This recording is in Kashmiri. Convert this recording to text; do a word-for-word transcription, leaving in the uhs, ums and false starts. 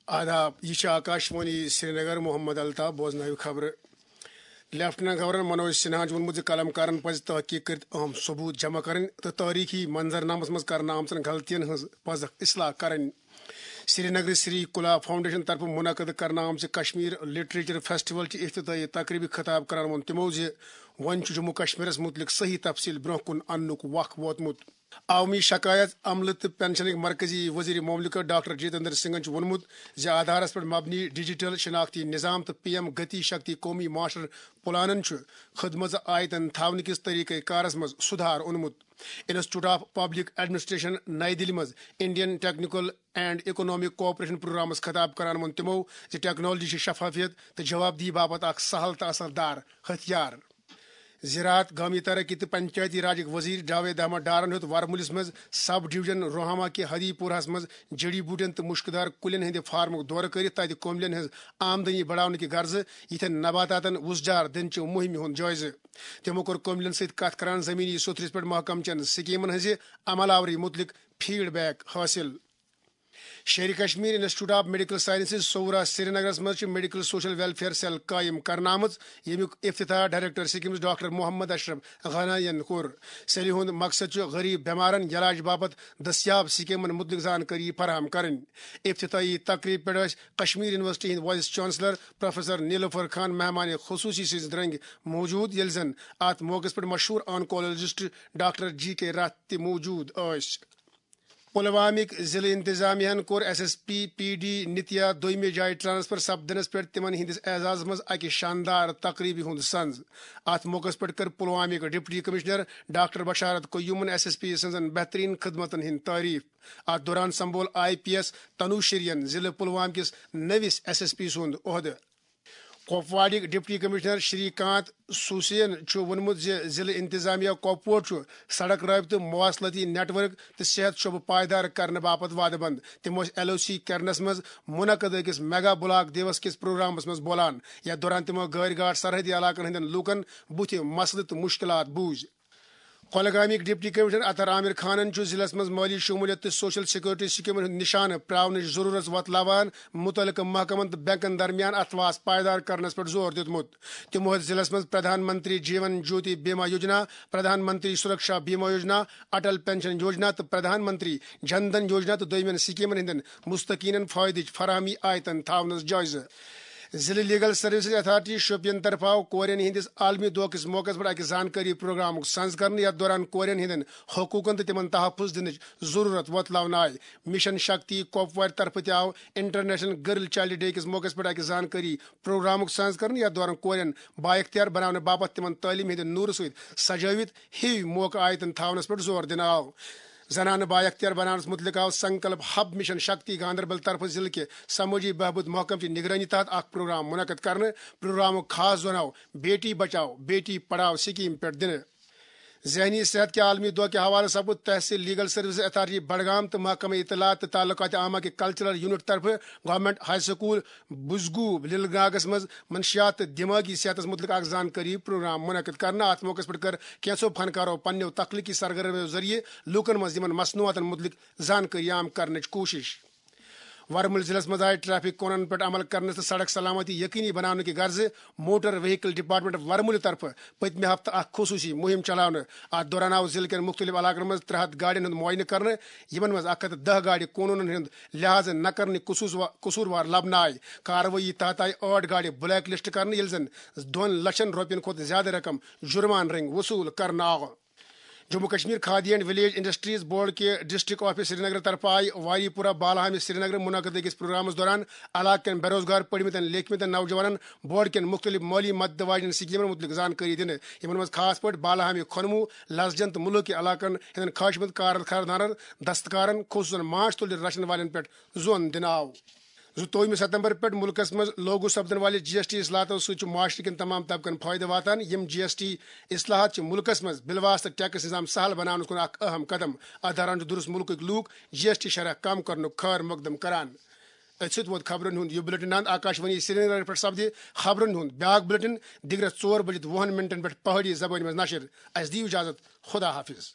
آداب، یہِ چھِ آکاشوانی سرینگر، محمد الطاف، بوزناوِ خبرٕ۔ لیفٹیننٹ گورنر منوج سنہاہن چھُ ووٚنمُت زِ قلم کارن پزِ تحقیق کٔرِتھ اہم ثبوت جمع کرٕنۍ تہٕ تٲریخی منظرنامس منٛز کرنہٕ آمژن غلطین ہٕنٛز پزکھ اصلاح کرٕنۍ۔ سرینگرٕ سری کلا فاؤنڈیشن طرفہٕ منعقد کرنہٕ آمژِ کشمیر لٹریچر فیسٹیول چہِ افتتاحی تقریبہِ خطاب کران ووٚن تِمو زِ وۄنۍ چھُ جموں کشمیرس مُتعلق صحیح تفصیل برونٛہہ کُن اننُک وق ووتمُت۔ عوامی شکایت، عملہٕ تہٕ پنشنٕکۍ مرکزی وزیر مملکت ڈاکٹر جتیندر سنگھن چھُ ووٚنمُت زِ آدھارس پٮ۪ٹھ مبنی ڈیجیٹل شناختی نظام تہٕ پی ایم گتی شکتی قومی ماسٹر پلانن چھُ خدمژ آیتن تھاونہٕ کِس طریقہ کارس منٛز سدھار اونمُت۔ Institute of public administration, Nai Delhi منٛز Indian technical and economic cooperation programmes خطاب کران ووٚن تِمو زِ ٹیکنالوجی چھِ شفافیت تہٕ جوابدہی باپتھ اکھ سہل تہٕ اثر دار ہتھیار۔ زراعت، گامی ترقی تہٕ پنچایتی راجٕکۍ وزیر جاوید احمد ڈارن ہیوٚت ورمُلِس منٛز سب ڈویژن روہما کہِ ہدی پورہس منٛز جڑی بوٹین تہٕ مُشکدار کُلٮ۪ن ہٕنٛدِ فارمُک دورٕ کٔرِتھ تتہِ کوملین ہٕنٛز آمدنی بڑاونہٕ کہِ غرضہٕ یِتھٮ۪ن نباتاتن وُژجار دِنہٕ چہِ مُہِمہِ ہُنٛد جٲیزٕ۔ تِمو کوٚر کوملین سۭتۍ کتھ کران زٔمیٖنی سوٚتھرِس پٮ۪ٹھ محکمہٕ چٮ۪ن سکیمن ہٕنٛزِ عمل آوری مُتعلق فیڈ بیک حٲصِل۔ Sher Kashmir institute of medical sciences Soura سرینگرس منٛز چھِ میڈیکل سوشل ویلفیئر سیل قٲیِم کرنہٕ آمٕژ، ییٚمیُک افتتاح ڈائریکٹر سکیمز ڈاکٹر محمد اشرف غنائین کوٚر۔ سیلہِ ہُنٛد مقصد چھُ غریب بیمارن علاج باپتھ دستیاب سکیمن مُتعلق زانکٲری فراہم کرٕنۍ۔ افتتاحی تقریب پٮ۪ٹھ ٲسۍ کشمیر یونیورسٹی ہٕنٛدۍ وائس چانسلر پروفیسر نیلوفر خان مہمان خصوصی سٕنٛز درنگ موجود، ییٚلہِ زن اتھ موقعس پٮ۪ٹھ مشہوٗر آنکولوجسٹ ڈاکٹر جی کے راتھ تہِ موجود ٲسۍ۔ پلوامٕکۍ ضلعہٕ انتظامیہ ہن کوٚر S S P P D Nitya دویمہِ جایہِ ٹرانسفر سپدنس پٮ۪ٹھ تِمن ہٕنٛدِس اعزازس منٛز اکہِ شاندار تقریبہِ ہُنٛد سنز۔ اتھ موقعس پٮ۪ٹھ کٔر پلوامٕکۍ ڈپٹی کمشنر ڈاکٹر بشارت قیومن ایس ایس پی سٕنزن بہترین خدمتن ہٕنٛز تعریف۔ اتھ دوران سمبول آئی پی ایس تنوشرین ضلعہٕ پلوام کِس نٔوِس ایس ایس پی سُنٛد عہدٕ۔ کپواڑٕکۍ ڈپٹی کمشنر شری کانت سوسین چھُ ووٚنمُت زِ ضلعہٕ انتظامیہ کپوور چھُ سڑک رٲبطہٕ، مواصلاتی نیٹ ورک تہٕ صحت شعبہٕ پائیدار کرنہٕ باپتھ وعدٕ بنٛد۔ تِم ٲسۍ ایل او سی کیرنس منٛز منعقد أکِس میگا بلاک دیوس کِس پروگرامس منٛز بولان، یتھ دوران تِمو گٲرۍ گاٹ سرحدی علاقن ہٕنٛدٮ۪ن لوٗکن بُتھِ مسلہٕ تہٕ مُشکلات بوٗزۍ۔ کۄلگامٕکۍ ڈپٹی کمشنر اطہر عامر خانن چھُ ضلعس منٛز مٲلی شمولیت تہٕ سوشل سیکورٹی سکیمن ہُنٛد نشانہٕ پراونٕچ ضرورت وۄتلاوان مُتعلقہٕ محکمن تہٕ بینکن درمیان اتھواس پائیدار کرنس پٮ۪ٹھ زور دیُتمُت۔ تِمو ہیٚتۍ ضلعس منٛز پردھان منتری جیون جیوتی بیما یوجنا، پردھان منتری سرکشا بیما یوجنا، اٹل پینشن یوجنا تہٕ پردھان منتری جن دھن یوجنا تہٕ دویمٮ۪ن سکیمن ہٕنٛدٮ۪ن مستحقینن فٲیدٕچ فراہمی آیتن تھاونس جٲیزٕ۔ ضلعہٕ لیگل سروسز اتھارٹی شوپین طرفہٕ آو کورٮ۪ن ہٕنٛدِس عالمی دۄہ کِس موقعس پٮ۪ٹھ اکھ زانکٲری پروگرامُک سنز کرنہٕ، یتھ دوران کورٮ۪ن ہٕنٛدٮ۪ن حقوقن تہٕ تِمن تحفظ دِنٕچ ضرورت وۄتلاونہٕ آیہِ۔ مشن شکتی کۄپوارِ طرفہٕ تہِ آو انٹرنیشنل گرل چائلڈ ڈے کِس موقعس پٮ۪ٹھ اکھ زانکٲری پروگرامُک سنز کرنہٕ، یتھ دوران کورٮ۪ن بااختیار بناونہٕ باپتھ تِمن تعلیمہِ ہٕنٛدِ نورٕ سۭتۍ سجٲوِتھ ہِوۍ موقعہٕ آیتن تھاونس پٮ۪ٹھ زور دِنہٕ آو۔ زنانہٕ بااختیار بناونس متعلق آو سنکلپ ہب مشن شکتی گاندربل طرفہٕ ضلعہٕ کہِ سمٲجی بہبود محکمہٕ چہِ نگرٲنی تحت اکھ پروگرام منعقد کرنہٕ۔ پروگرامُک خاص زون آو بیٹی بچاؤ بیٹی پڑھاؤ سکیم پٮ۪ٹھ دِنہٕ۔ ذہنی صحت کہِ عالمی دۄہ کہِ حوالہٕ سپُد تحصیل لیگل سروسز اتھارٹی بڈگام تہٕ محکمہ اطلاعات تہٕ تعلقات عامہ کہِ کلچرل یونٹ طرفہٕ گورنمنٹ ہائی سکول بزگو للگاگس منٛز منشیات تہٕ دماغی صحتس متعلق اکھ زانکٲری پروگرام منعقد کرنہٕ۔ اتھ موقعس پٮ۪ٹھ کٔر کینٛژھو فنکارو پننیو تخلیقی سرگرمیو ذٔریعہٕ لوٗکن منٛز یِمن مصنوعاتن متعلق زانکٲری عام کرنٕچ کوٗشش۔ ورمُل ضلعس منٛز آیہِ ٹریفک قونوٗنن پٮ۪ٹھ عمل کرنس تہٕ سڑک سلامتی یقینی بناونہٕ کہِ غرضہٕ موٹر وہیکل ڈپارٹمنٹ ورمُلہِ طرفہٕ پٔتمہِ ہفتہٕ اکھ خصوٗصی مُہِم چلاونہٕ۔ اتھ دوران آو ضلعہٕ کٮ۪ن مُختٔلِف علاقن منٛز ترٛےٚ ہَتھ گاڑٮ۪ن ہُنٛد معائنہٕ کرنہٕ، یِمن منٛز اکھ ہَتھ تہٕ دَہ گاڑِ قونوٗنن ہُنٛد لحاظ نہ کرنٕکۍ قصوٗص وا-، قصوٗروار لبنہٕ آیہِ۔ کاروٲیی تحت آیہِ ٲٹھ گاڑِ بلیک لسٹ کرنہٕ، ییٚلہِ زن دۄن لچھن رۄپین کھۄتہٕ زیادٕ رقم جُرمان رٔنگۍ وصوٗل کرنہٕ آو۔ Jammu Kashmir khadi and village industries board کہِ ڈسٹرکٹ آفس سرینگر طرفہٕ آیہِ واری پورہ بالہامہِ سرینگر منعقد أکِس پروگرامس دوران علاقہٕ کٮ۪ن بے روزگار پٔرمٕتٮ۪ن لیکھمٕتٮ۪ن نوجوانن بورڈ کٮ۪ن مُختٔلِف مٲلی مدد واجنٮ۪ن سکیمن مُتعلق زانکٲری دِنہٕ، یِمن منٛز خاص پٲٹھۍ بالہامہِ کھۄنمو، لسجن تہٕ مُلکہٕ کہِ علاقن ہٕنٛدٮ۪ن خواہش مند کارخانہٕ دارن، دستکارن، خصوٗصن ماچھ تُلرِ رچھن والٮ۪ن پٮ۪ٹھ زون دِنہٕ آو۔ زٕتووُہمہِ ستمبر پٮ۪ٹھ مُلکس منٛز لاگو سپدن والہِ جی ایس ٹی اصلاحاتو سۭتۍ چھُ معاشرٕ کٮ۪ن تمام طبقن فٲیدٕ واتان۔ یِم جی ایس ٹی اصلاحات چھِ مُلکس منٛز بِلواسطہٕ ٹیکس نظام سہل بناونس کُن اکھ اہم قدم۔ اتھ دوران چھُ درست مُلکٕکۍ لوٗکھ جی ایس ٹی شرح کم کرنُک خٲر مقدم کران۔ أتھۍ سۭتۍ ووت خبرن ہُنٛد یہِ بُلٹن اند۔ آکاشوانی سرینگر پٮ۪ٹھ سپدِ خبرن ہُنٛد بیاکھ بُلٹن دِگرس ژور بجِتھ وُہن منٹن پٮ۪ٹھ پہٲڑی زبٲنۍ منٛز نشر۔ اسہِ دِیِو اجازت، خدا حافظ۔